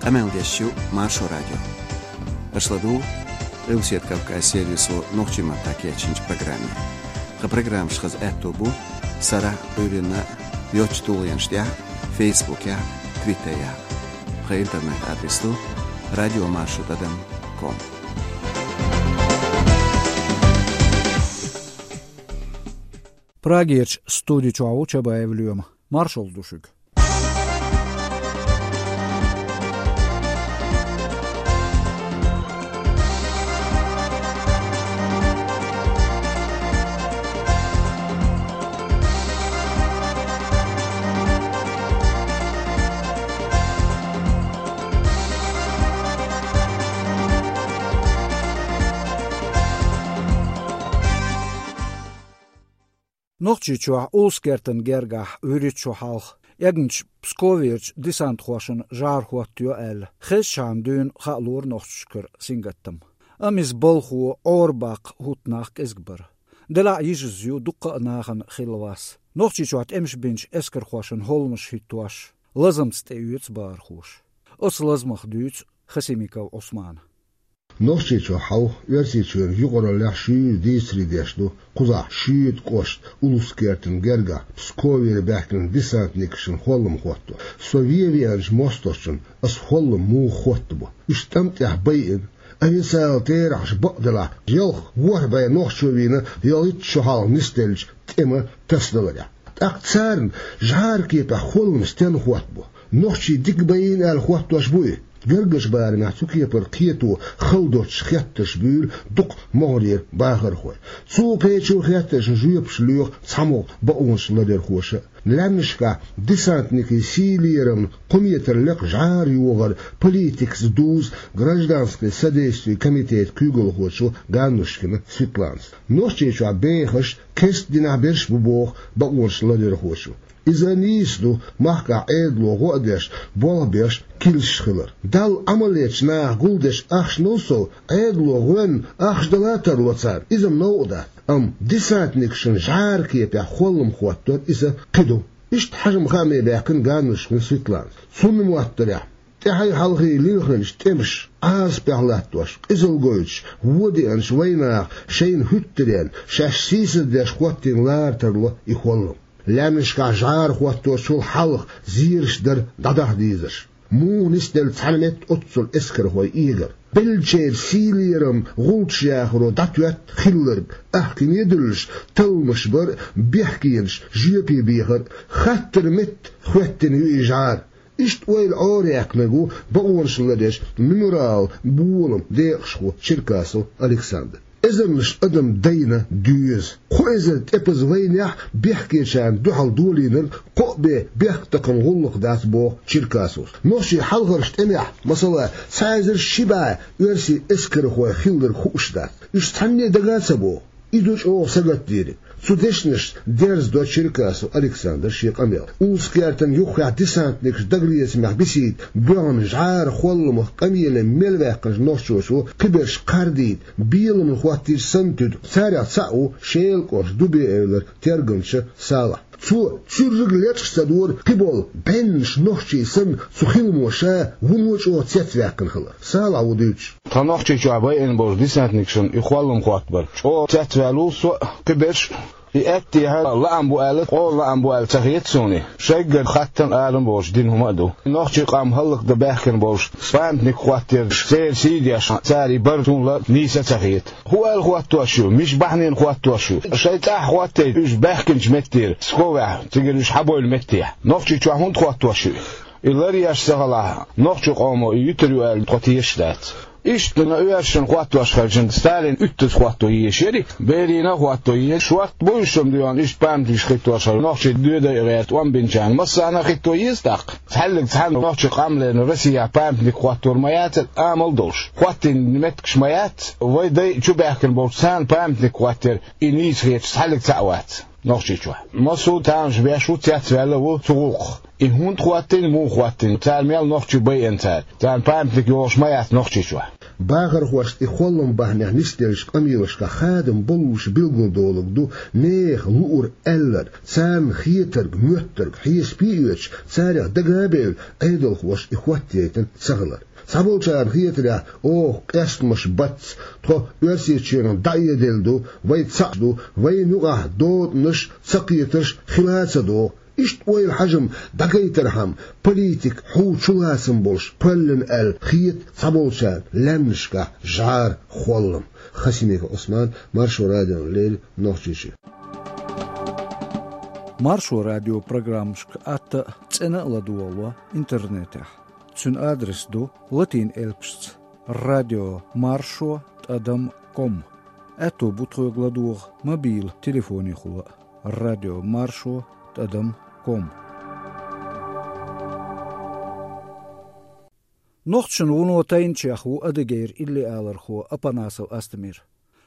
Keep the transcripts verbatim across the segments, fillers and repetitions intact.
Къамел деш ю Маршо радио. Аша ладугӀу Къилбаседа Кавказ сервисо нохчийн маттахь кечйинчу программе. Тхан программаш хаза аьтто бу сарахь а, Ӏуьйранна а йоцачу тулгӀенаш тӀехь а, Фейсбукехь а, Твиттерехь а. Тхан интернет-адрес ду радиомаршо тӀадам ком. Прагерчу студи чохь ву Чабаев Лоьма. Маршалла ду шуьга. Нохчийчохь Улус-Кертан гергахь вуьрхӀитта шо хьалха эгначу Псковерчу десантхошна жӀар хӀоттайо аьлла, хезчхьана дуьйна хаалора нохчашкара сингаттам. Амма иза балхо, Ӏорабаккха хӀутту нах кӀезиг бара. Делахь а йижаза ю дуккха а нахана хилла вас. Нохчийчохь тӀемаш бинчу эскархошна хӀолламаш хӀиттош, лазамца тӀеоьцу бахархоша. Оцу лазамах дуьйцу Хасимиков Ӏусмана. Нохчийчохь хьалха Оьрсийчоьнан юкъараллехь шуьйра дийцаре деш ду кхузахь шуьйта кӀошта Улус-Кертан гергахь Псковера баьхкинчу десантникашна хӀоллам хӀотто. Со вен веанчу мостагӀчунна аса хӀоллам муха хӀоттабо. Уьш тӀам тӀехь байина, официалан терахьаш бакъделахь, ялх-ворхӀ бӀе нохчо вийна ялхитта шо хьалха нисделлачу тӀеман тасадаларехь. ТӀаккха царна жӀаран кепехь хӀоллам стенна хӀоттабо? Нохчий дика байина аьлла хӀоттош буй? Гаргарчу барамехь цу кепара кхето хала доцчу хеттарш буьйлу дукха могӀарера бахархой. Цу кхечу хеттаршна жоьпаш лоьху цхьамогӀа бакъонаш ларъярхоша. Лаьмнашкахь десантникийн сий лерамна кхо метр лекха жӀар йогӀар политикаца дузу гражданское содействие комитетан куьйгалхочо Ганнушкина Светланас. Нохчийчохь бехаш кеста динехь берш бу боху бакъонаш ларъярхочо. Иза нийса ду махкахь Ӏедало гӀо а деш, болх беш килсаш хилар. Далла Ӏамал ечу наха гулдеш ахчанал сов, Ӏедало гӀоьнна ахча дала а тарло царна, иза-м новкъа дац. Амма десантникашна жӀаран кепехь хӀоллам хӀоттор иза кхин ду. Иштта хьажа-м хааме баьхкина Ганнушкина Светланас. Цунна моттарехь, тӀаьхьий-хьалхий лилхинчу тӀемаша Ӏазапехь латтош, къизалла гойтуш, вон деанчу вайнаха шайна хӀуьттаренна, шаьш сийсаздеш хӀоттийна лара тарло и хӀоллам. Лаьмнашкахь жӀар хӀотточул хьалха зераш дара дӀадахьа дезарш. Муха нисделла цхьана метта оццул эскархой эгар? Беллачеран сий лерам гӀулчаш яхаро дӀатоьтту хилларг, ахкаме а дуьллуш, талламаш бар а, бехкенаш жоьпе бехар а. Хаттаран метта хӀоьттина ю и жӀар. Иштта ойла Ӏораяьккхинарг ву бакъонаш ларъеш «Мемориал» боламан декъашхо Черкасов Александр. Эзарнаш адам дайна доьза. Кхо эзар тӀепаза вайнехь бехкечарна дуьхьал долийнарг кхо а бен бехктакхаман гӀуллакх дац, боху Черкасовс. Нохчийн хьалхарчу тӀемехь, масала, цхьа эзар ши бӀе оьрсийн эскархой хилларг хууш дац. Уьш цхьанне а дага а ца боху. И ду чӀогӀа сагатдийриг. Цу дешнашца дерзадо Черкасов Александра шен къамел. Улус-Кертан юххехь десантникаш дагалецамехь бисийта боьгӀна жӀаран хӀолламах къамеле мел ваьккхинчу нохчочо кхиберш кхардийта, беламна хӀоттийча санна туьду. Царех цхьаъ ву Шелан кӀоштан Дубе-Эвлара тергамча Салахь. Цо цуьрриг лечкъаш ца дора кхиболу бӀеннаш нохчий санна, цу хиламо ша вуно чӀогӀа цецваьккхина хилар. Салахь ву дуьйцуш. Тхан Нохчийчохь байина болчу десантникашна и хӀоллам хӀоттабар чӀогӀа цецваьлла ву со а, кхиберш а. И аьттехьа лаам бу аьлла, къона лаам бу аьлла ца хета суна. Шайггара хаттам а, алам а боцуш дина хӀума а ду. Нохчийн къам хӀаллакдан баьхкина болчу памятник хӀоттаярш, церан сий деш, цара и бар суна ла нийса а ца хета. ХӀун аьлла хӀоттош ю? Миша бахьанина хӀоттош ю? Шайн цӀахь хӀоттайта уьш баьхкинчу меттера, Псковехь, цигара уьш хьабевлла меттехь. Нохчийчохь хӀунда хӀоттош ю? И ларъеш ца хилахь, нохчийн къомо и юьтур ю аьлла тхо тешаш дац. Иштта оьрсашна хӀоттош хилча, Сталин уьттаза хӀотто езаш яра, Берийна а хӀотто еза. Шортта бу уьш-м дуьйна иштта памятникаш хӀиттош хилла, нохчий доьдай а гӀерта, тӀом бинчарна массарна а хӀитто еза тӀаккха. Цхьаьллиг цхьаьна нохчийн къам лерина Россехь памятник хӀоттор ма яцара, амал а долуш. ХӀоттийна меттигаш ма яц, вайн дай чубаьхкина болчу царна памятник хӀоттор, и нийса хеташ цхьаьллиг цхьаъ вац Нохчийчохь. Массо а тамаш беш ву, цецваьлла а ву цу гӀуллакхах. И хӀунда хӀоттийна, муха хӀоттийна, цара мел нохчий байина цара. Царна памятник йолуш ма яц Нохчийчохь. Бахархошта и холлам бахьанех нисделлачу къамелашкахь хадам боллуш билгалдолург ду нехан луург, аьлларг, царна хетарг, моьттарг хьесапе а оьцуш, царех дага а бевлла, Ӏедалхоша и хӀоттаяйтина ца хилар. Цхьаболчарна хетарехь, оха къестамаш бац, тхо Оьрсийчоьнах дӀаэделла ду, вай цхьаъ ду, вайна юкъахь дотӀанаш, цакхетарш хила а ца догӀу. Иштта ойла хьажам дӀагайтархьама, политика хьу чулацам болуш паллина аьлла хета цхьаболчарна лаьмнашкахь жӀара холлам. Хасимиков Ӏусман, Маршо радиона леррина, Нохчийчоь. Маршо радион программашка атта а, цӀена а ладогӀало интернетехь. Цуьнан адрес ду латин элпашца: радио маршо тӀадам ком. Аьтто бу тхоьга ладогӀа мобилан телефонехула а: радио маршо тӀадам ком. Нохчашна вуно тайначех ву Адыгейра иллиалархо Апанасов Астемир.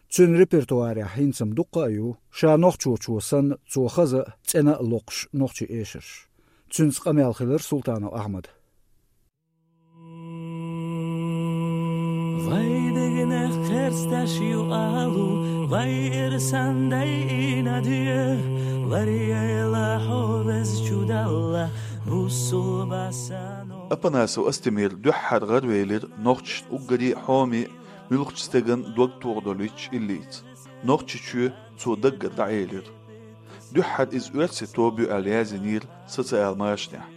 Цуьнан репертуарехь хӀинца-м дуккха а ю, ша нохчочо санна, цо хаза а, цӀена а локхуш нохчийн эшарш. Цуьнца къамел хилира Султанов Ахьмада. Вай дегнех кхерсташ ю алу, вай ирсан дайина де, варьяйла хьо веза чудалла, бусулба сану. Апанасов Астемира дуьххьара гӀаравелира нохчашна уггаре а хьоме а, муьлххачу стеган дог тохадолуьйтуш иллица. Нохчийчоь цо даггара дӀаэлира. Дуьххьара иза оьрсийн тоба ю аьлла яздинера социал машанехь.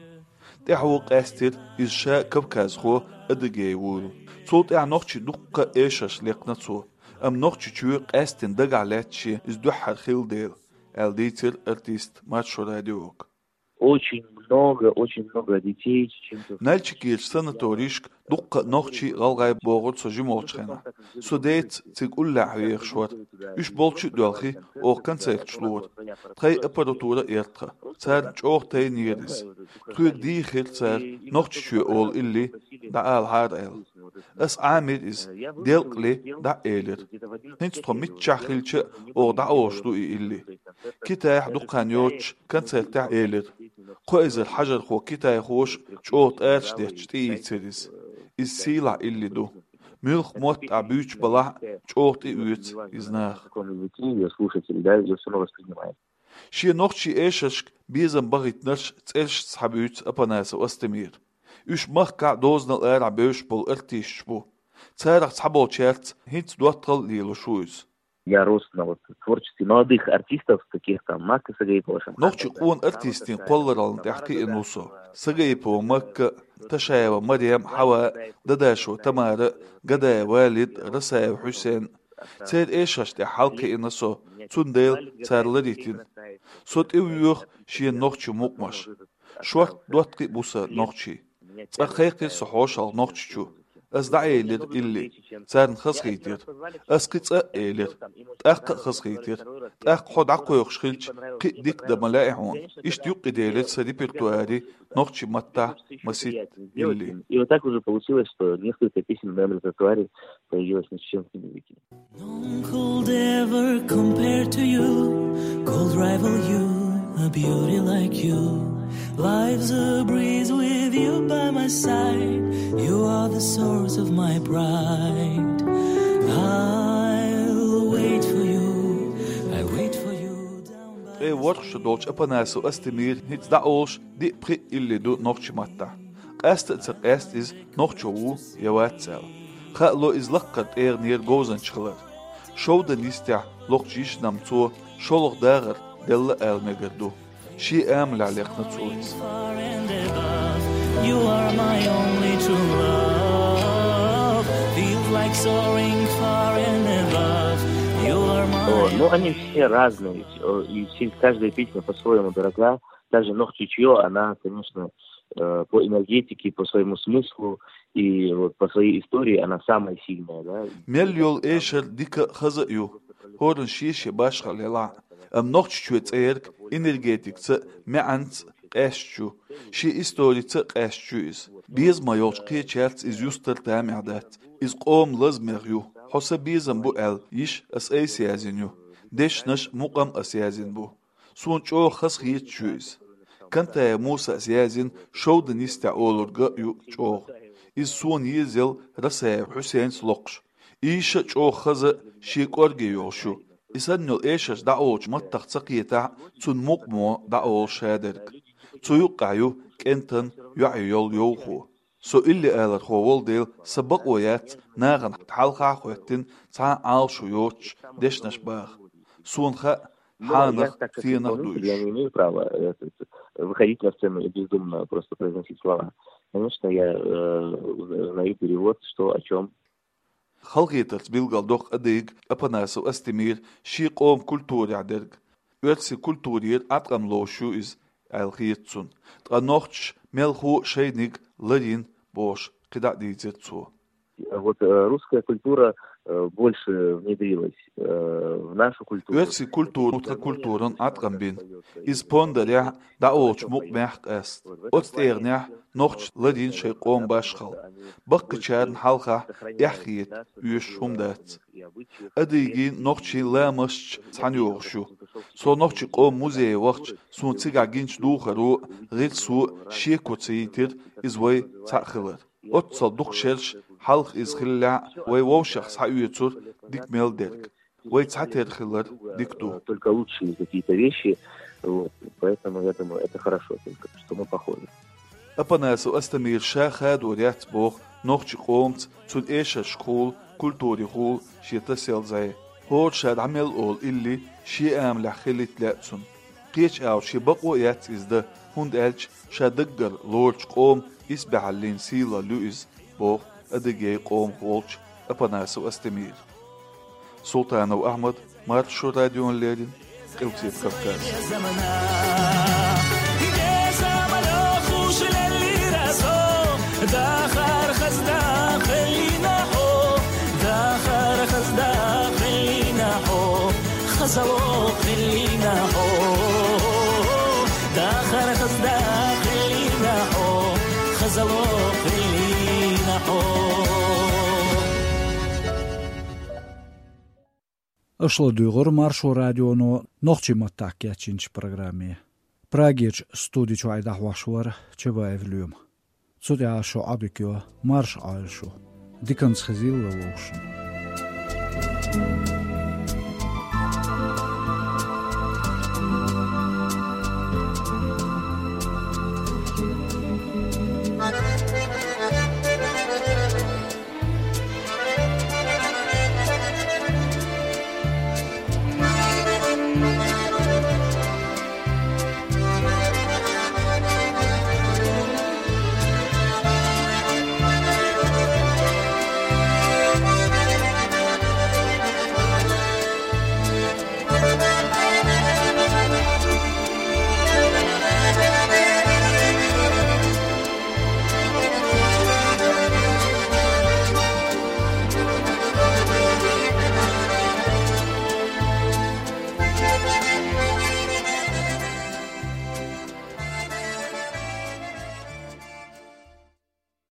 ТӀаьхьо къаьстира иза ша кавказхо Адыгей вуйла. Цул тӀаьхьа нохчийн дуккха а эшарш лекхна цо, амма Нохчийчоь къаьсттина дагахь лаьтта шен иза дуьххьара хилла дела, аьлла дийцира артиста Маршо радиога. Очень много, очень много детей, чеченцев. Нальчикерчу санаторийшка дуккха а нохчий, гӀалгӀай богӀура со жима волчу хенахь. Со деца цига уллехь вехаш вара. Уьш болчу а доьлхий, оха концерташ лора. Тхайн аппаратура а яра тхан. Царна чӀогӀа тайнера иза. Тхоьга дийхира цара, Нохчийчоь олу илли дӀаалахьара аьлла. Ас Ӏамийра иза, делкъале дӀа а элира. ХӀинца тхо миччахь хилча а, оха дӀаолуш ду и илли. Китайхь дукха хан йоцуш концертехь элира. Кхо эзар хьажархо китайхоша чӀогӀа тӀараш детташ тӀеийцира иза. Иза сийлахь илли ду. Муьлхха мотт ахь буьйцуш балахь а, чӀогӀа тӀеоьцу иза наха. Каком языке её слушатель, да, её всё равно воспринимает. Шен нохчийн эшаршка безам бахийтинарш цӀерашца схьабуьйцу Апанасов Астемира. Уьш махкахь а, дозанал арахь а бевзаш болу артисташ бу. Царах цхьаболчаьрца хӀинца доттагӀалла лелош ву иза. Я рос на вот творчестве молодых артистов, таких там Макка Сагаипова, Шамхана. Нохчийн къона артистийн кхоллараллин тӀехь кхиъна ву со. Сагаипова Макка, Ташаева Марем, Хьава, Дадашева Тамара, Гадаев Валид, Расаев Хьусен. Церан эшаршна тӀехь хьалакхиъна со, цундела цара ларйитина. Со тӀевоьху шена нохчийн мукъамаш. Шортта доттагӀий а бу сан нохчий. Цкъа кхайкхира со хьошалгӀа Нохчийчу. Ас дӀаэлира илли. Царна хазахийтира. Ас кхин цкъа а элира. ТӀаккха а хазахийтира. ТӀаккха хьо дӀакхойкхуш хилча, кхин а дика дан ма лаьа хьуна. Иштта юккъе делира сан репертуаре нохчийн маттахь масийтта илли. И вот так уже получилось, что несколько песен в моём репертуаре появилось на чеченском языке. None could ever compare to you, could rival you, a beauty like you. Life's a breeze with you by my side, you are the source of my pride. I'll wait for you, I wait for you down by. Ткъе ворхӀ шо долчу Апанасов Астемира хӀинца дӀаолуш диъ-пхиъ илли ду нохчийн маттахь. Къаста а ца къаьста иза нохчо ву я вац аьлла. Хаало иза лаккхара тӀегӀанера говзанча хилар. Шовдан йистехь локхучу йишина-м цо шолгӀа дагӀар делла ала мегар ду. Шен амалехь лекхна цо иза. You are my only true love. Feels like soaring far and above. You are my. О, ну они все разные ведь. О, и все, каждая песня по-своему дорога. Даже Нохчийчоё, она, конечно, э, по энергетике, по своему смыслу и вот по своей истории она самая сильная, да. Мел йолу эшар дика а, хаза а ю, хӀоранна шен-шен башхалла елахь а. Амма Нохчийчоь цӀерга энергетикаца а, маьӀанца а къаьсташ ю, шен историца а къаьсташ ю иза. Безам йолчу кхечаьрца иза юстар тамехь дац. Иза къоман лазамех ю. Хьо сан безам бу аьлла, йиш ас айса яздина ю. Дешнаш, мукъам ас яздина бу. Суна чӀогӀа хазахеташ ю иза. Кантаев Мусас яздина «Шовдан йистехь» олург а ю чӀогӀа. Иза сона езал Расаев Хьусейнца локхуш. Ийша а чӀогӀа хаза а, шен кӀорге йолуш ю. И санна йолу эшарш дӀаолучу маттах ца кхетахь а, цунна мукъамо дӀаолу шадерг. Цу юккъехь ю кӀентан йоӀе йолу йовхо. Со илли алархо волу дела, сан бакъо яц нахана хьалха а хӀоьттина цхьа а Ӏалашо йоцуш дешнаш баха. Суна хаьа, хьанах, стенах ду уьш. Я не имею права, э, выходить на сцену и бездумно просто произносить слова. Конечно, я, э, узнаю перевод, что, о чём. Халахетарца билгалдоккху адыгга Апанасов Астемира шен къоман культурехь дерг. Оьрсийн культурера Ӏаткъам лоруш ю иза, аьлла хета цунна. Ткъа нохчаша мелхо а шайниг ларйина бохуш, кхидӀа а дийцира цо. Вот, э, русская культура, э, больше внедрилась, э, в нашу культуру. Оьрсийн культура тхан культуран Ӏаткъам бина. Иза пондарехь а, дӀаолучу мукъамехь а къаьста. Оцу тӀегӀанехь нохчаша ларйина шайн къоман башхалла. Баккхийчарна хьалха эхь хета оьшуш хӀума дац. Адыгийн, нохчийн ламасташ цхьаьна йогӀуш ю. Со нохчийн къоман музее вахча, суна цигахь гинчу духаро а, гӀирсо а шеко ца йитира иза вай цхьаъ хилар. Оццул дукха шераш хьалха иза хиллехь а, вай вовшех схьаоьцура дика мел дерг. Вай цхьатерра хилар дика ду. Только лучшие какие-то вещи, вот, поэтому, я думаю, это хорошо только, что мы похожи. Апанасов Астемира ша хадор яц боху нохчийн къомаца, цуьнан эшаршкахула, культурехула шен тасаелла зӀе. ХӀора ша дӀа мел олу илли шен амалехь хилийта лаьа цунна. Кхечу агӀор шен бакъо а яц иза дан, хӀунда аьлча ша даггара лоручу къоман исбаьхьаллин сийлалла ю иза, боху адыгийн къомах волчу Апанасов Астемира. Султанов Ахьмад, Маршо радиона леррина, Къилбаседа Кавказ. Аша ладуьйгӀира Маршо радионо нохчийн маттахь кечйинчу программе. Прагерчу студи чохь и дӀахьош вара Чабаев Лоьма. Цу тӀехь шун Ӏодика йо, марша Ӏойла шу. Диканца хезийла вовшашна.